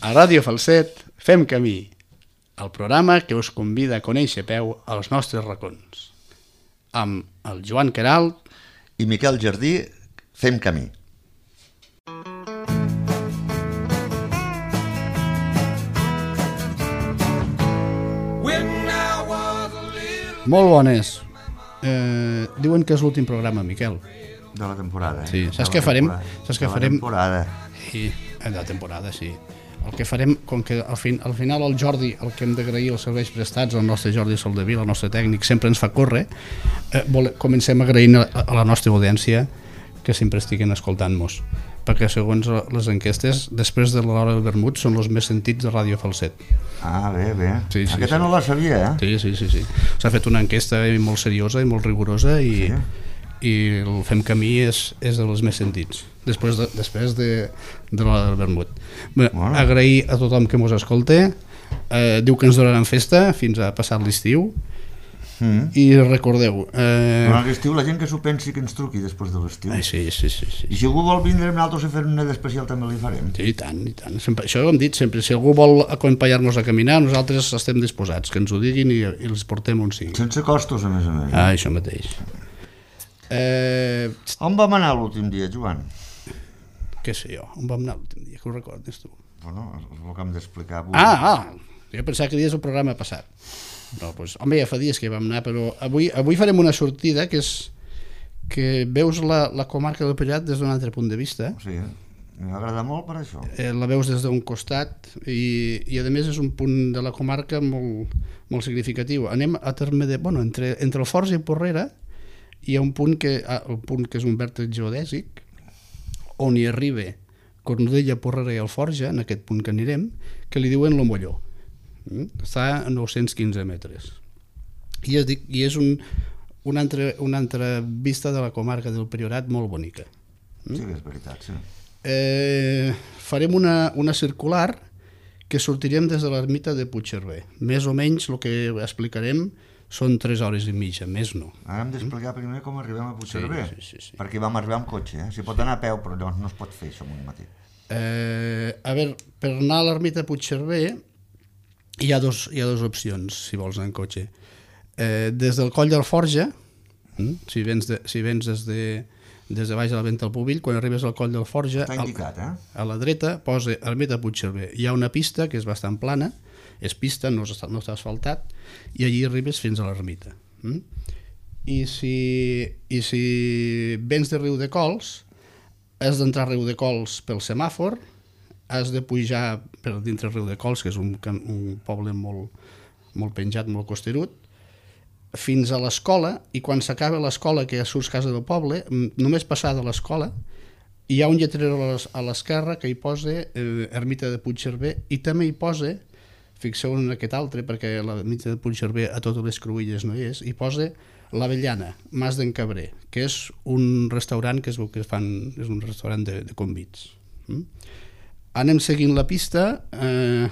A Ràdio Falset fem camí, el programa que us convida a conèixer a peu als nostres racons. Amb el Joan Queralt i Miquel Jardí fem camí. Molt bones. Diuen que és l'últim programa, Miquel. De la temporada. Sí, saps què farem? Saps què farem? De la temporada. Sí, de la temporada, sí. El que farem, com que al final el Jordi, el que hem d'agrair els serveis prestats, el nostre Jordi Soldevila, el nostre tècnic, sempre ens fa córrer, comencem agraint a la nostra audiència que sempre estiguen escoltant-nos, perquè segons les enquestes, després de l'hora del vermut, són els més sentits de Ràdio Falset. Ah, bé. Sí, Aquesta no la sabia, eh? Sí. S'ha fet una enquesta molt seriosa i molt rigorosa i el Fem Camí és de les més sentits després de l'hora del vermut. Bueno. Agrair a tothom que mos escolta, diu que ens donaran festa fins a passar l'estiu i recordeu durant l'estiu la gent que s'ho pensi que ens truqui després de l'estiu. Sí. I si algú vol vindre amb nosaltres a fer una d'especial també li farem. Sí, i tant. Sempre, això ho hem dit sempre, si algú vol acompanyar-nos a caminar nosaltres estem disposats, que ens ho diguin i els portem on sigui. Sense costos, a més a més. Això mateix. On vam anar l'últim dia, Joan? Què sé jo, on vam anar l'últim dia, que ho recordes tu? Bueno, és el que hem d'explicar avui. Jo pensava que dies el programa passat. No, doncs, home, ja fa dies que hi vam anar, però avui farem una sortida que és que veus la comarca del Priorat des d'un altre punt de vista. Sí, m'agrada molt per això. La veus des d'un costat i a més és un punt de la comarca molt significatiu. Anem a terme de... Bueno, entre el Forja i Porrera hi ha un punt que és un vèrtex geodèsic on hi arriba Cornudella, Porrera i el Forja, en aquest punt que anirem, que li diuen l'Omolló. Està a 915 metres. I és una altra vista de la comarca del Priorat molt bonica. Sí, és veritat, sí. Farem una circular que sortirem des de l'ermita de Puigcerver. Més o menys el que explicarem són 3 hores i mitja, més no. Ara hem d'explicar primer com arribem a Puigcerver, sí. perquè vam arribar amb cotxe. S'hi pot anar a peu, però llavors no es pot fer això amb un matí. A veure, per anar a l'ermita de Puigcerver hi ha dos opcions, si vols anar en cotxe. Des del Coll del Forja, si vens des de baix de la Venta del Pubill, quan arribes al Coll del Forja, està indicat, a la dreta posa ermita de Puigcerver. Hi ha una pista que és bastant plana, és pista, no està asfaltat, i allí arribes fins a l'ermita. I si vens de Riudecols, has d'entrar a Riudecols pel semàfor, has de pujar per dintre Riudecols, que és un poble molt penjat, molt costerut, fins a l'escola, i quan s'acaba l'escola, que ja surts casa del poble, només passar de l'escola, hi ha un lletrero a l'esquerra que hi posa ermita de Puigcerver, i també hi posa, fixeu en aquest altre, perquè l'ermita de Puigcerver a totes les cruïlles no hi és, hi posa l'Avellana, Mas d'en Cabrer, que és un restaurant que es veu que fan, és un restaurant de convits. Anem seguint la pista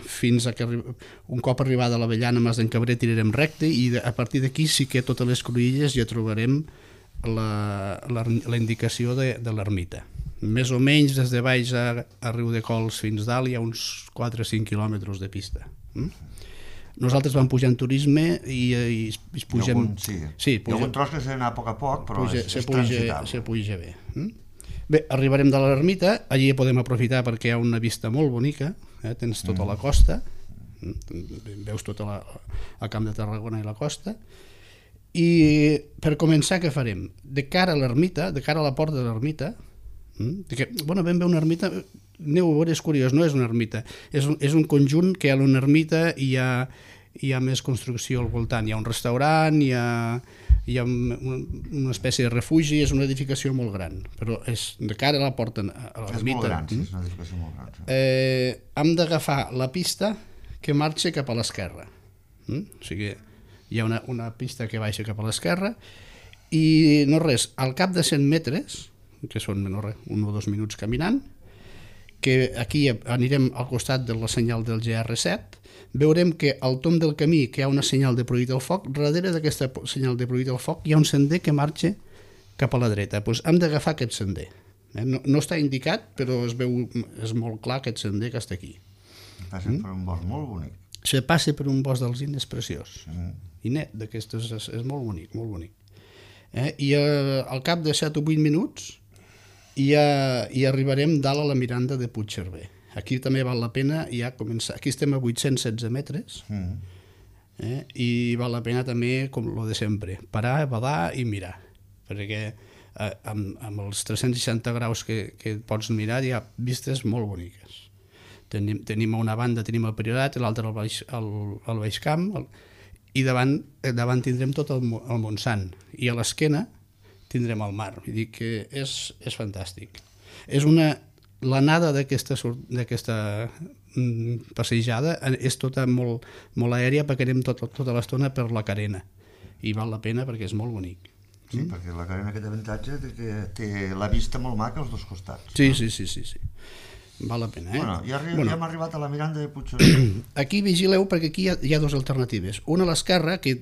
fins a que un cop arribada a l'Avellana, Mas d'en Cabrer, tirarem recte i a partir d'aquí sí que a totes les cruïlles ja trobarem la indicació de l'ermita. Més o menys des de baix a Riudecols fins dalt hi ha uns 4 o 5 quilòmetres de pista. Nosaltres vam pujar en turisme i pugem... Sí, hi ha algun tros que s'ha d'anar a poc, però és transitable. Se puja bé. Bé, arribarem de l'ermita, allí podem aprofitar perquè hi ha una vista molt bonica, tens tota la costa, veus tot el Camp de Tarragona i la costa, i per començar què farem? De cara a l'ermita, de cara a la porta de l'ermita, vam veure una ermita, aneu a veure, és curiós, no és una ermita, és un conjunt que a una ermita hi ha més construcció al voltant, hi ha un restaurant, hi ha una espècie de refugi, és una edificació molt gran, però és de cara a la porta a l'ermita. És molt gran, sí, és una edificació molt gran. Hem d'agafar la pista que marxa cap a l'esquerra. O sigui, hi ha una pista que baixa cap a l'esquerra i no res, al cap de 100 metres, que són no res, 1 o 2 minuts caminant, que aquí anirem al costat de la senyal del GR7, veurem que al tomb del camí que hi ha una senyal de prohibit al foc, darrere d'aquesta senyal de prohibit al foc hi ha un sender que marxa cap a la dreta. Doncs hem d'agafar aquest sender. No està indicat, però es veu, és molt clar aquest sender que està aquí. Passa per un bosc molt bonic. Se passa per un bosc d'alzines preciós. I net, d'aquestes és molt bonic, molt bonic. I al cap de 7 o 8 minuts ja arribarem dalt a la Miranda de Puigcerver. Aquí també val la pena ja començar. Aquí estem a 816 metres i val la pena també, com lo de sempre, parar, badar i mirar. Perquè amb els 360 graus que pots mirar hi ha vistes molt boniques. Tenim a una banda tenim el Priorat i l'altra al Baix Camp, i davant tindrem tot el Montsant, i a l'esquena tindrem el mar. Vull dir que és fantàstic. L'anada d'aquesta passejada és tota molt aèria, perquè anem tota l'estona per la carena, i val la pena perquè és molt bonic. Sí, perquè la carena aquest avantatge que té la vista molt maca als dos costats. Sí. Val la pena, Bueno, ja hem arribat a la Miranda de Puigcerver. Aquí vigileu, perquè aquí hi ha dues alternatives. Una a l'esquerra, que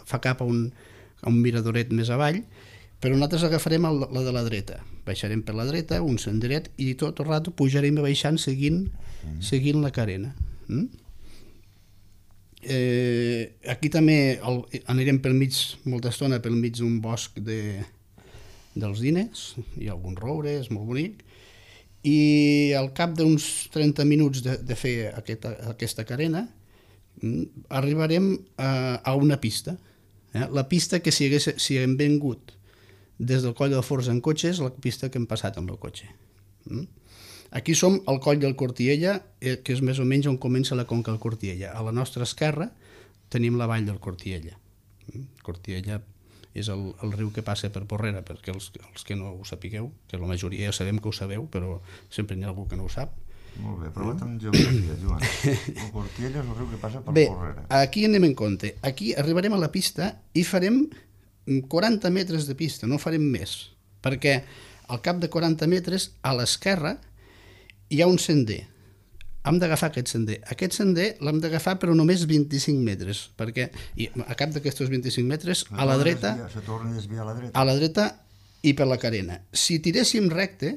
fa cap a un miradoret més avall, però nosaltres agafarem la de la dreta. Baixarem per la dreta, un senderet, i tot el rato pujarem i baixant seguint la carena. Aquí també anirem pel mig, molta estona, pel mig d'un bosc dels Dines, hi ha algun roure, és molt bonic, i al cap d'uns 30 minuts de fer aquesta carena arribarem a una pista. La pista que si hem vingut des del Coll del Forç en cotxe és la pista que hem passat amb el cotxe. Aquí som al Coll del Cortiella, que és més o menys on comença la Conca del Cortiella. A la nostra esquerra tenim la vall del Cortiella. Cortiella és el riu que passa per Porrera, perquè els que no ho sapigueu, que la majoria ja sabem que ho sabeu, però sempre n'hi ha algú que no ho sap. Molt bé, provat amb geografia, Joan. El Cortiella és el riu que passa per Porrera. Bé, aquí anem en compte. Aquí arribarem a la pista i farem 40 metres de pista, no farem més, perquè al cap de 40 metres a l'esquerra hi ha un sender. Hem d'agafar aquest sender. Aquest sender l'hem d'agafar però només 25 metres, perquè a cap d'aquests 25 metres a la dreta, se torna a desviar a la dreta i per la carena. Si tiréssim recte,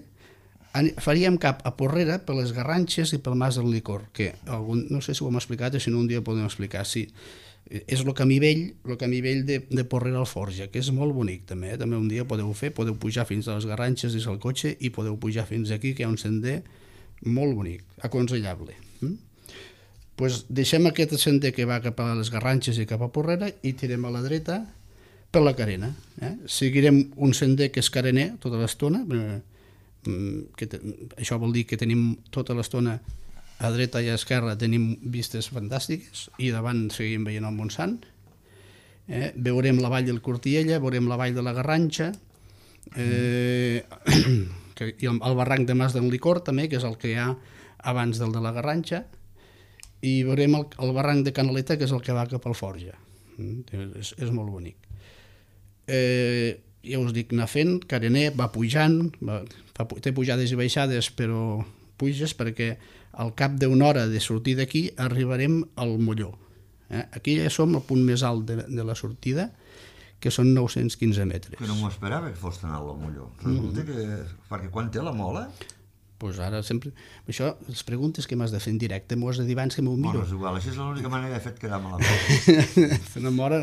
faríem cap a Porrera per les Garranxes i pel Mas del Licor, que no sé si ho hem explicat o si no un dia ho podem explicar. Sí, és el camí vell de Porrera al Forja, que és molt bonic també. També un dia podeu pujar fins a les Garranxes i al cotxe i podeu pujar fins aquí, que hi ha un sender molt bonic, aconsellable. Pues deixem aquest sender que va cap a les Garranxes i cap a Porrera i tirem a la dreta per la carena. Seguirem un sender que és carener tota l'estona, això vol dir que tenim tota l'estona a dreta i a esquerra tenim vistes fantàstiques i davant seguim veient el Montsant. Veurem la vall del Cortiella, veurem la vall de la Garranxa, i el barranc de Mas del Licor també, que és el que hi ha abans del de la Garranxa, i veurem el barranc de Canaleta, que és el que va cap al Forja. És molt bonic. Ja us dic, anar fent, carener, va pujant, té pujades i baixades, però puges perquè al cap d'una hora de sortir d'aquí arribarem al Molló. Aquí ja som al punt més alt de la sortida, que són 915 metres. Que no m'ho esperava que fos tan alt el Molló. Resulta que... Perquè quan té la mola... Doncs ara sempre... Això, les preguntes que m'has de fer en directe, m'ho has de dir abans que m'ho miro. Bueno, és igual, això és l'única manera de fet quedar malament. La mola...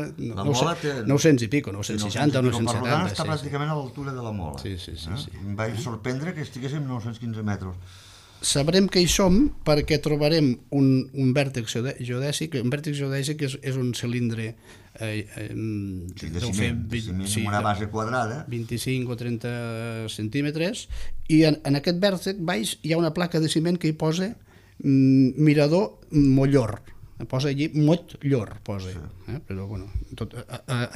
900 i pico, 960 o 970. Per tant, està pràcticament a l'altura de la mola. Sí. Em vaig sorprendre que estiguéssim 915 metres. Sabrem que hi som perquè trobarem un vèrtex geodèsic. Un vèrtex geodèsic és un cilindre de ciment amb una base quadrada, 25 o 30 centímetres, i en aquest vèrtex baix hi ha una placa de ciment que hi posa Mirador Mollor. Posa allí Mollor, posa. Però bueno,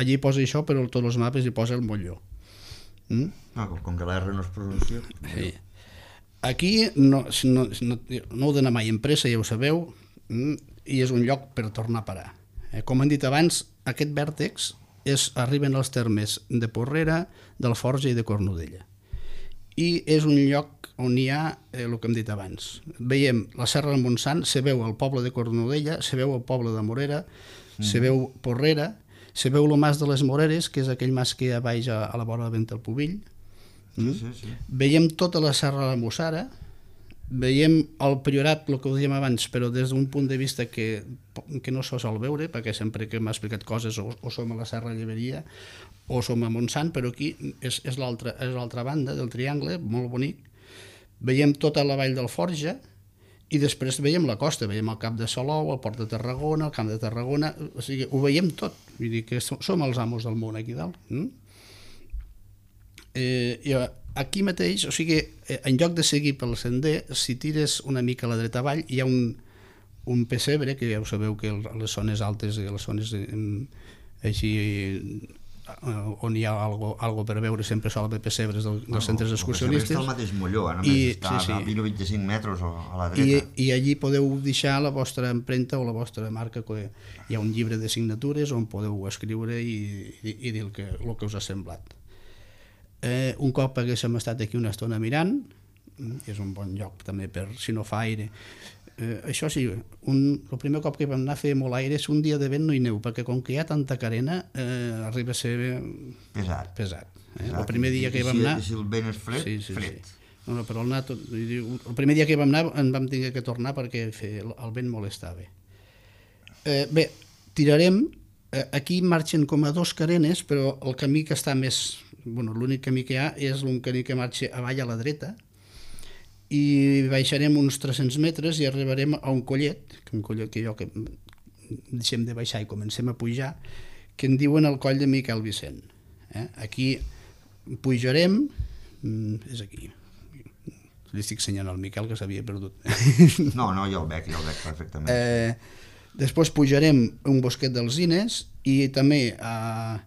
allí posa això, però tots els mapes hi posa el Mollor. Com que la R no es pronuncia. Sí. Aquí no heu d'anar mai en pressa, ja ho sabeu, i és un lloc per tornar a parar. Com hem dit abans, aquest vèrtex arriben als termes de Porrera, del Forja i de Cornudella. I és un lloc on hi ha el que hem dit abans. Veiem la Serra del Montsant, se veu el poble de Cornudella, se veu el poble de Morera, se veu Porrera, se veu el Mas de les Moreres, que és aquell mas que hi ha baix a la vora del Vent del Pubill. Sí. Veiem tota la Serra de la Mussara, veiem el Priorat, el que ho dèiem abans, però des d'un punt de vista que no se sol veure, perquè sempre que m'ha explicat coses o som a la Serra Lleberia o som a Montsant, però aquí és l'altra banda del triangle, molt bonic. Veiem tota la vall del Forja i després veiem la costa, veiem el Cap de Salou, el Port de Tarragona, el Camp de Tarragona, o sigui, ho veiem tot, vull dir que som els amos del món aquí dalt. I aquí mateix, o sigui, en lloc de seguir pel sender, si tires una mica a la dreta avall, hi ha un pessebre, que ja ho sabeu que les zones altes i les zones així on hi ha algo per veure, sempre sol haver pessebres dels centres excursionistes. El pessebre està al mateix molló, només està a 20 o 25 metres a la dreta. I allí podeu deixar la vostra empremta o la vostra marca, que hi ha un llibre de signatures on podeu escriure i dir el que us ha semblat. Un cop haguéssim estat aquí una estona mirant, és un bon lloc també per si no fa aire. Això sí, el primer cop que vam anar a fer molt aire és un dia de vent no hi neu, perquè com que hi ha tanta carena arriba a ser pesat. El primer dia que hi vam anar... I si el vent és fred, fred. No, però el primer dia que hi vam anar en vam tenir que tornar perquè el vent molestava. Bé, tirarem, aquí marxen com a 2 carenes, però el camí que està més... l'únic camí que hi ha és un camí que marxa avall a la dreta, i baixarem uns 300 metres i arribarem a un collet que deixem de baixar i comencem a pujar, que en diuen el coll de Miquel Vicent. Aquí pujarem, és aquí, li estic ensenyant al Miquel que s'havia perdut. No, jo el veig perfectament. Després pujarem un bosquet d'alzines i també a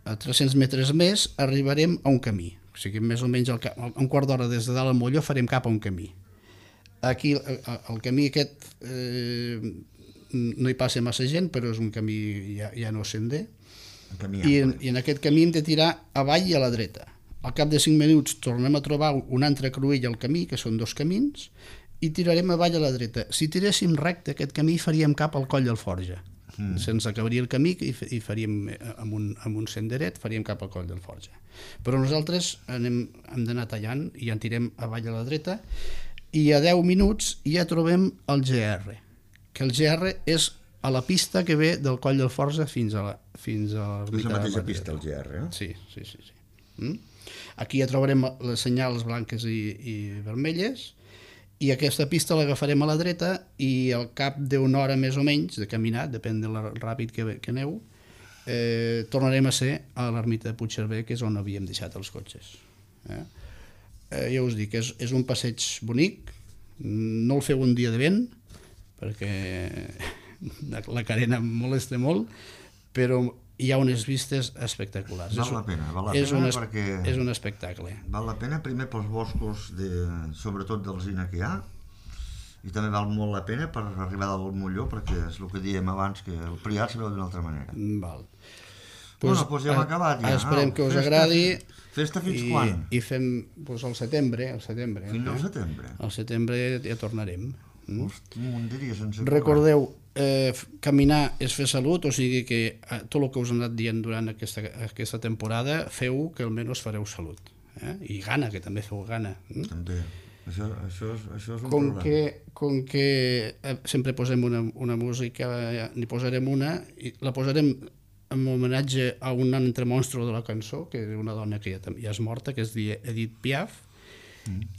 300 metres més arribarem a un camí. O sigui, més o menys un quart d'hora des de dalt al molló farem cap a un camí. Aquí, el camí aquest, no hi passa massa gent, però és un camí ja no sender. I en aquest camí hem de tirar avall i a la dreta. Al cap de 5 minuts tornem a trobar un altre cruïll al camí, que són 2 camins, i tirarem avall a la dreta. Si tiréssim recte aquest camí faríem cap al Coll del Forja. Se'ns acabaria el camí i faríem amb un senderet, faríem cap al Coll del Forja. Però nosaltres hem d'anar tallant i ja en tirem avall a la dreta i a 10 minuts ja trobem el GR, que el GR és a la pista que ve del Coll del Forja fins a és la mateixa pista, el GR, Sí. Aquí ja trobarem les senyals blanques i vermelles, i aquesta pista l'agafarem a la dreta i al cap d'una hora més o menys de caminar, depèn de lo ràpid que aneu, tornarem a ser a l'ermita de Puigcerver, que és on havíem deixat els cotxes. Ja us dic, és un passeig bonic, no el feu un dia de vent, perquè la carena molesta molt, però hi ha unes vistes espectaculars. Val la pena perquè... És un espectacle. Val la pena primer pels boscos, sobretot d'alzina que hi ha, i també val molt la pena per arribar del molló, perquè és el que dèiem abans, que el Priorat se veu d'una altra manera. Val. Doncs ja hem acabat. Esperem que us agradi. Festa fins quan? I fem al setembre. Fins al setembre? Al setembre ja tornarem. Hosti, un dia sense... Recordeu, caminar és fer salut, o sigui que tot el que us he anat dient durant aquesta temporada, feu que almenys fareu salut. I gana, que també feu gana. També. Això és un problema. Com que sempre posem una música, n'hi posarem una, i la posarem en homenatge a un altre monstru de la cançó, que és una dona que ja és morta, que es diu Edith Piaf,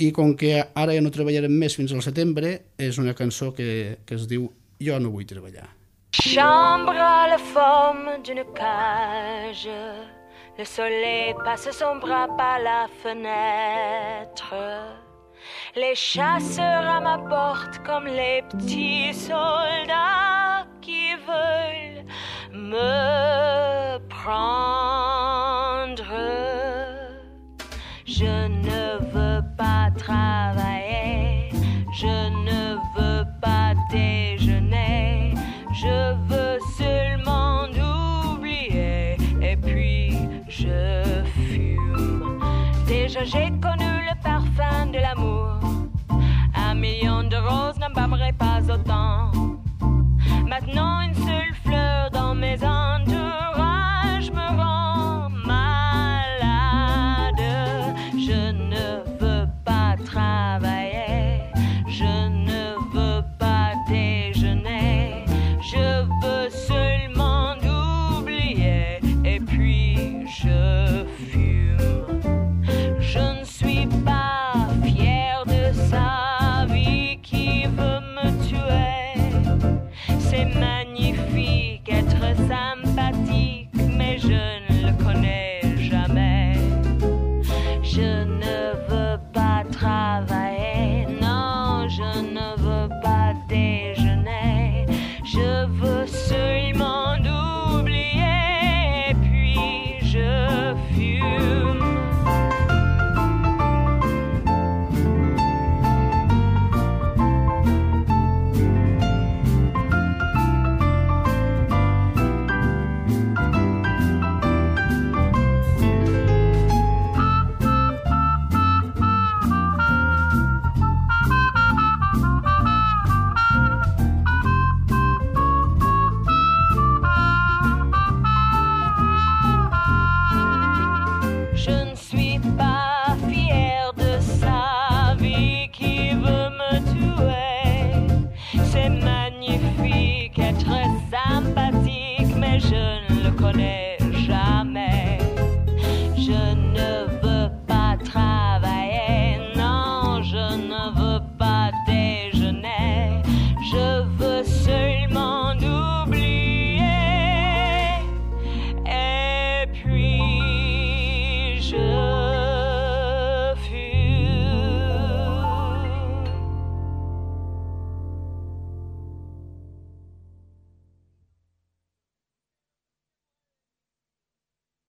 i com que ara ja no treballarem més fins al setembre, és una cançó que es diu Jo no vull treballar. Chambre à la forme d'une cage, le soleil passe son bras par la fenêtre. Les chasseurs à ma porte comme les petits soldats qui veulent me prendre. Je ne veux pas travailler, je ne veux pas déjeuner, je veux seulement oublier et puis je fume. Déjà j'ai